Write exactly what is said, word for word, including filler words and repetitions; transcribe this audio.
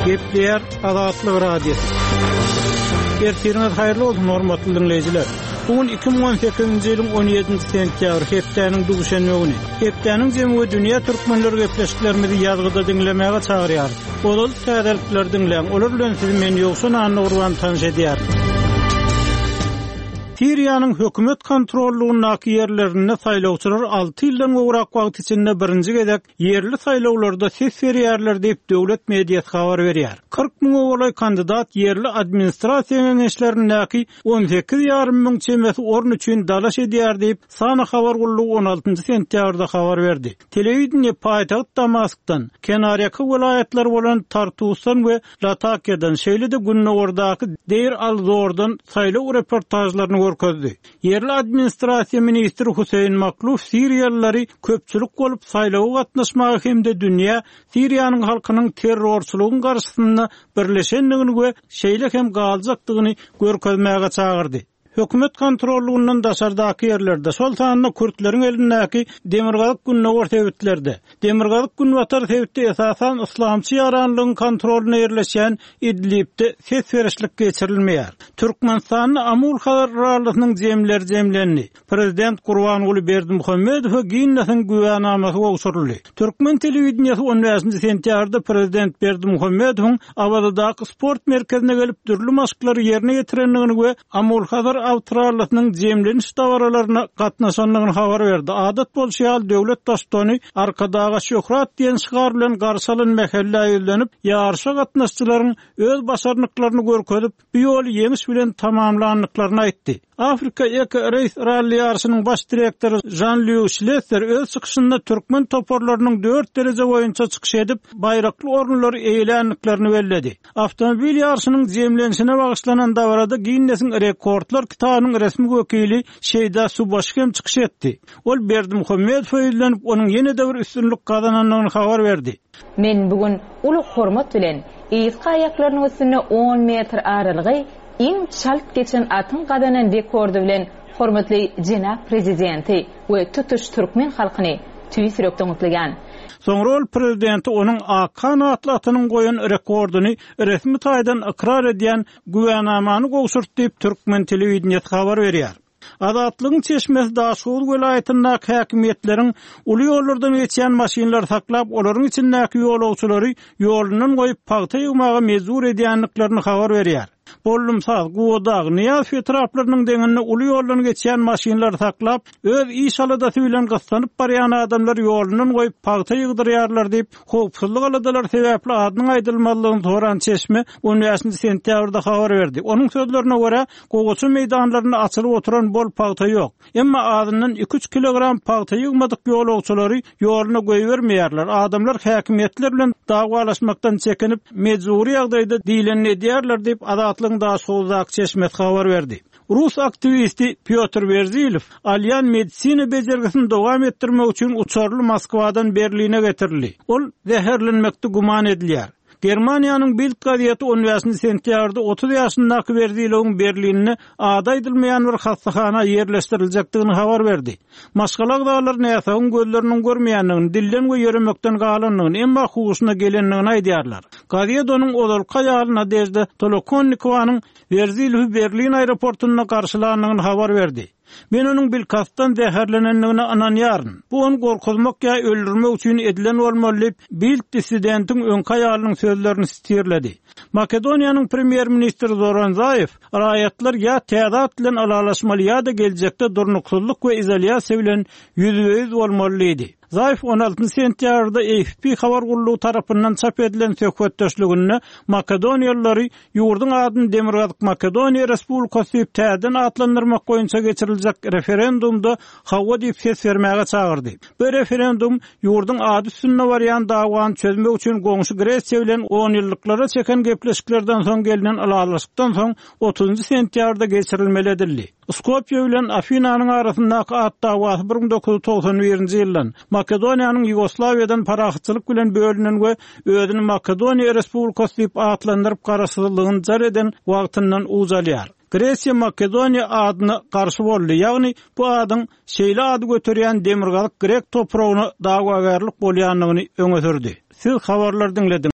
Gepleýär Azatlyk Radiosy. Ertiriňiz haýyrly bolsun hormatly dinleýjiler. Bu gün iki müň on sekizinji ýylyň on ýedinji sentýabr hepdäniň duşenbe güni. Hepdäniň jemi we dünýä türkmenleri gepleşiklerimizi ýazgyda diňlemäge çagyrýar. Ozal täzelikler diňläň. Olar bilen sizi men Ýowşan Annagurban tanyş edýär. Siriýanyň hökümet kontrollugyndaky ýerlerinde saýlawçylar alty ýyldan gowrak wagt içinde birinji gezek ýerli saýlawlarda ses berýärler diýip döwlet mediasy habar berýär. Kyrk müňe golaý kandidat ýerli administrasiýa geňeşlerindäki on sekiz ýarym müň çemesi orun üçin dalaş edýär diýip Sana habar gullugy on altynjy sentýabrda habar berdi. Telewideniýe paýtagt Damaskdan, kenarýaka welaýatlar bolan Tartusdan we Latakiýadan, şeýle-de Gündogardaky Deir al-Zordan saýlaw reportajlaryny görkezdi. Ýerli administrasiýa ministri Hüseýin Makluf Siriýalylary köpçülik bolup saýlawa gatnaşmagy hem-de dünýä Siriýanyň halkynyň terrorçylygyň garşysynda birleşendigini we şeýle hem galjakdygyny görkezmäge çagyrdy. Hökümet kontrollugyndan daşardaky ýerlerde, şol sanda Kürtleriň elindäki Demirgazyk Gündogar sebitlerde, Demirgazyk Günbatar sebitde esasan Islamçy ýaranlygyň kontrolyna ýerleşen Idlibde ses berişlik geçirilmeýär. Türkmenistanda Amul Hazar rallysynyň jemleri jemlendi. Prezident Gurbanguly Berdimuhamedowa Ginnesiň güwänamasy gowşuryldy. Türkmen telewideniýesi on bäşinji sentýabrda Prezident Berdimuhamedowyň Awazadaky sport merkezine gelip dürli maşklary ýerine ýetirendigini we Amul Hazar awtorallysynyň jemleniş dabaralaryna gatnaşandygyny habar berdi. Adat bolşy ýaly döwlet baştutany Arkadaga şöhrat diýen şygar bilen garşy alan mähellä ýüzlenip, ýaryşa gatnaşyjylaryň öz başarnyklaryny görkezip, bu ýoly ýeňiş bilen tamamlandyklaryny aýtdy. Afrika Eco Race Rally ýaryşynyň baş direktory Jean-Louis Schlesser öz çykyşynda türkmen toparlarynyň dört dereje boýunça çykyş edip, baýrakly orunlary eýeländiklerini belledi. Awtomobil ýaryşynyň jemlenişine bagyşlanan dabarada Ginnesiň rekordlar kitabynyň resmi wekili Şeýda Subaşy hem çykyş etdi. Ol Berdimuhamedowa ýüzlenip, onuň ýene-de bir üstünlik gazanandygyny habar berdi. Men bugün uly hormat bilen yzky aýaklarynyň üstünde on metr aralygy iň çalt geçen atyň gazanan rekordy bilen hormatly jenap prezidenti we tutuş türkmen halkyny tüýs ýürekden gutlaýan. Soňra ol prezidenti onuň Akhan atly atynyň goýan rekordyny resmi taýdan ykrar edýän güwänamany gowşurtdy diýip türkmen telewideniýesi habar berýär. Azatlygyň çeşmesi Daşoguz welaýatyndaky häkimiýetleriň uly ýollardan geçýän maşynlary saklap, olaryň içindäki ýolagçylary ýolundan goýup pagta ýygmaga mejbur edýändiklerini habar berýär. Bollumsaz, Guwadag, Nyýazow etraplarynyň deňinde uly ýoldan geçýän maşynlary saklap, öz iş aladasy bilen gyssanyp barýan adamlar ýolundan goýup pagta ýygdyrýarlar diýip, howpsuzlyk aladalary sebäpli adynyň aýdylmazlygyny soran çeşme on bäşinji sentýabrda habar berdi. Onuň sözlerine görä, gowaça meýdanlarynda açylyp oturan bol pagta ýok. Emma azyndan iki üç kilogram pagta ýygmadyk ýolagçylary ýoluna goýbermeýärler. Adamlar häkimiýetler bilen dawalaşmakdan çekinip, mejbury ýagdaýda diýlenini edýärler diýip Azatlygyň Daşoguzdaky çeşmesi habar berdi. Rus aktiwisti Pýotr Werzilow alýan medisina bejergisini dowam etdirmek üçin uçarly Moskwadan Berline getirildi. Ol zäherlenmekde güman edilýär. Germaniýanyň Bild gazeti on bäşinji sentýabrda otuz ýaşyndaky Werzilowyň Berlinde ady aýdylmaýan bir hassahana ýerleşdiriljekdigini habar berdi. Maşgala agzalary näsagyň gözleriniň görmeýändigini, dilden we ýöremekden galandygyny, emma huşuna gelendigini aýdýarlar. Gazet onuň ozalky aýaly Nadejda Tolokonnikowyň Werzilowy Berlin aeroportunda garşylandygyny habar berdi. Men onuň bilkastdan zäherlenendigine ynanýaryn. Bu ony gorkuzmak ýa öldürmek üçin edilen bolmaly diýip, Bild dissidentiň öňki aýalynyň sözlerini sitirledi. Makedoniýanyň premýer-ministri Zoran Zaýew raýatlar ýa täze at bilen ylalaşmaly ýa-da geljekde durnuksyzlyk we izolýasiýa bilen ýüzbe-ýüz bolmaly diýdi. Zaýew on altynjy sentýabrda A F P habar gullugy tarapyndan çap edilen söhbetdeşliginde Makedoniýalylary ýurduň adyny Demirgazyk Makedoniýa Respublikasy diýip täzeden atlandyrmak boýunça geçiriljek referendumda hawa diýip ses bermäge çagyrdy. Bu referendum ýurduň ady üstünde barýan dawany çözmek üçin goňşy Gresiýa bilen on ýyllyklara çeken gepleşiklerden soň gelinen ylalaşykdan soň otuzynjy sentýabrda geçirilmeli edildi. Skopje bilen Afinanyň arasyndaky at dawasy bir müň dokuz ýüz togsan birinji ýyldan Makedoniýanyň Ýugoslawiýadan parahatçylyk bilen bölünen we özüni Makedoniýa Respublikasy diýip atlandyryp garaşsyzlygyny jar eden wagtyndan ucalýar. Gresiýa Makedoniýa adyna garşy boldy, ýagny bu adyň şeýle ady göterýän Demirgazyk Grek topragyna dawagärlik bolýandygyny öňe sürdi. Siz habarlar diňlediniz.